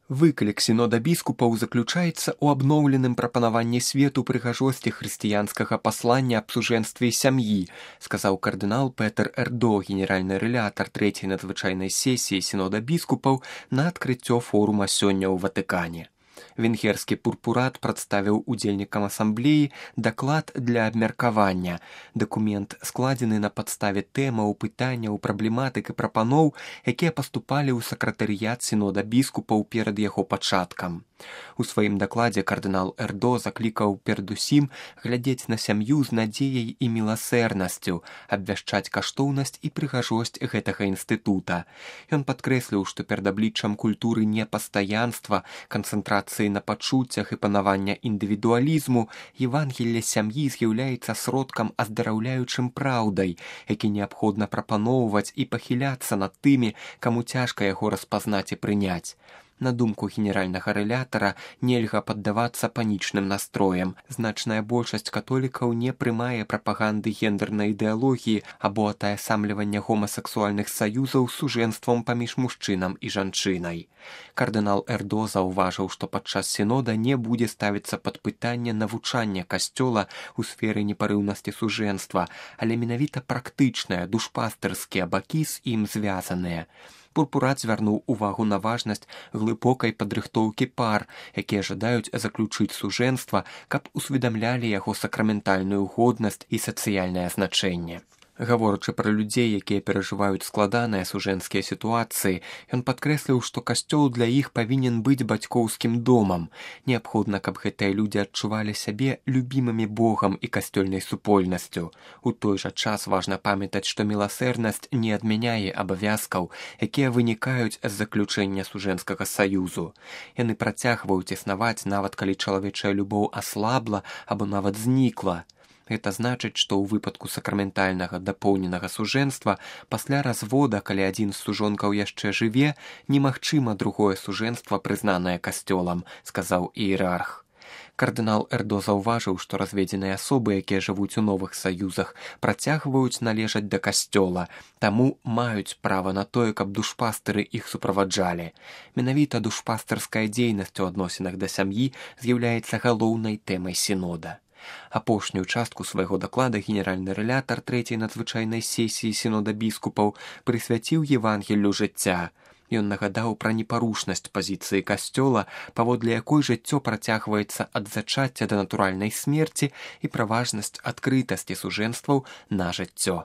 Выклік сінода біскупаў заключаецца ў абноўленым прапанаванні свету прыгажосці хрысціянскага паслання аб сужэнстве сям'і, сказаў кардынал Петер Эрдо, генеральны рэлятар трэцяй надзвычайнай сесіі сінода біскупаў на адкрыццё форума сёння ў Ватыкане. Венгерскі пурпурат прадставіў удзельнікам асамблеі даклад для абмеркавання. Дакумент складзены на падставе тэмаў, пытанняў, праблематык і прапаноў, якія паступалі ў сакратарыят сінода біскупаў перад яго пачаткам. У сваім дакладзе кардынал Эрдо заклікаў перадусім глядзець на сям'ю з надзеяй і міласэрнасцю, абвяшчаць каштоўнасць і прыгажосць гэтага інстытута. Ён падкрэсліў, што перад абліччам культуры непастаянства, канцэнтрацыі на пачуццях і панавання індывідуалізму, Евангелле сям'і з'яўляецца сродкам аздараўляючым праўдай, які неабходна прапаноўваць і пахіляцца над тымі, каму цяжка яго распазнаць і прыняць. На думку генеральнага рэлятара, нельга паддавацца панічным настроям. Значная большасць католікаў не прымае прапаганды гендэрнай ідэалогіі або атаясамлівання гомасексуальных саюзаў з сужэнствам паміж мужчынам і жанчынай. Кардынал Эрдо заўважыў, што падчас сінода не будзе ставіцца пад пытанне навучання касцёла ў сферы непарыўнасці сужэнства, але менавіта практычныя, душпастырскія бакі з ім звязаныя. Пурпурат звярнуў увагу на важнасць глыбокай падрыхтоўкі пар, якія жадаюць заключыць сужэнства, каб усведамлялі яго сакраментальную годнасць і сацыяльнае значэнне. Гаворачы пра людзей, якія перажываюць складаныя сужэнскія сітуацыі, ён падкрэсліў, што касцёл для іх павінен быць бацькоўскім домам. Неабходна, каб гэтыя людзі адчувалі сябе любімымі Богам і касцёльнай супольнасцю. У той жа час важна памятаць, што міласэрнасць не адмяняе абавязкаў, якія вынікаюць з заключэння сужэнскага саюзу. Яны працягваюць існаваць, нават калі чалавечая любоў аслабла або нават знікла. Гэта значыць, што ў выпадку сакраментальнага дапоўненага сужэнства пасля развода, калі адзін з сужонкаў яшчэ жыве, немагчыма другое сужэнства, прызнанае касцёлам, сказаў іерарх. Кардынал Эрдо заўважыў, што разведзеныя асобы, якія жывуць у новых саюзах, працягваюць належаць да касцёла, таму маюць права на тое, каб душпастыры іх суправаджалі. Менавіта душпастырская дзейнасць у адносінах да сям'і з'яўляецца галоўнай тэмай сінода. Апошнюю частку свайго даклада генеральны рэлятар трэцяй надзвычайнай сесіі сінода біскупаў прысвяціў Евангеллю жыцця. Ён нагадаў пра непарушнасць пазіцыі касцёла, паводле якой жыццё працягваецца ад зачацця да натуральнай смерці, і пра важнасць адкрытасці сужэнстваў на жыццё.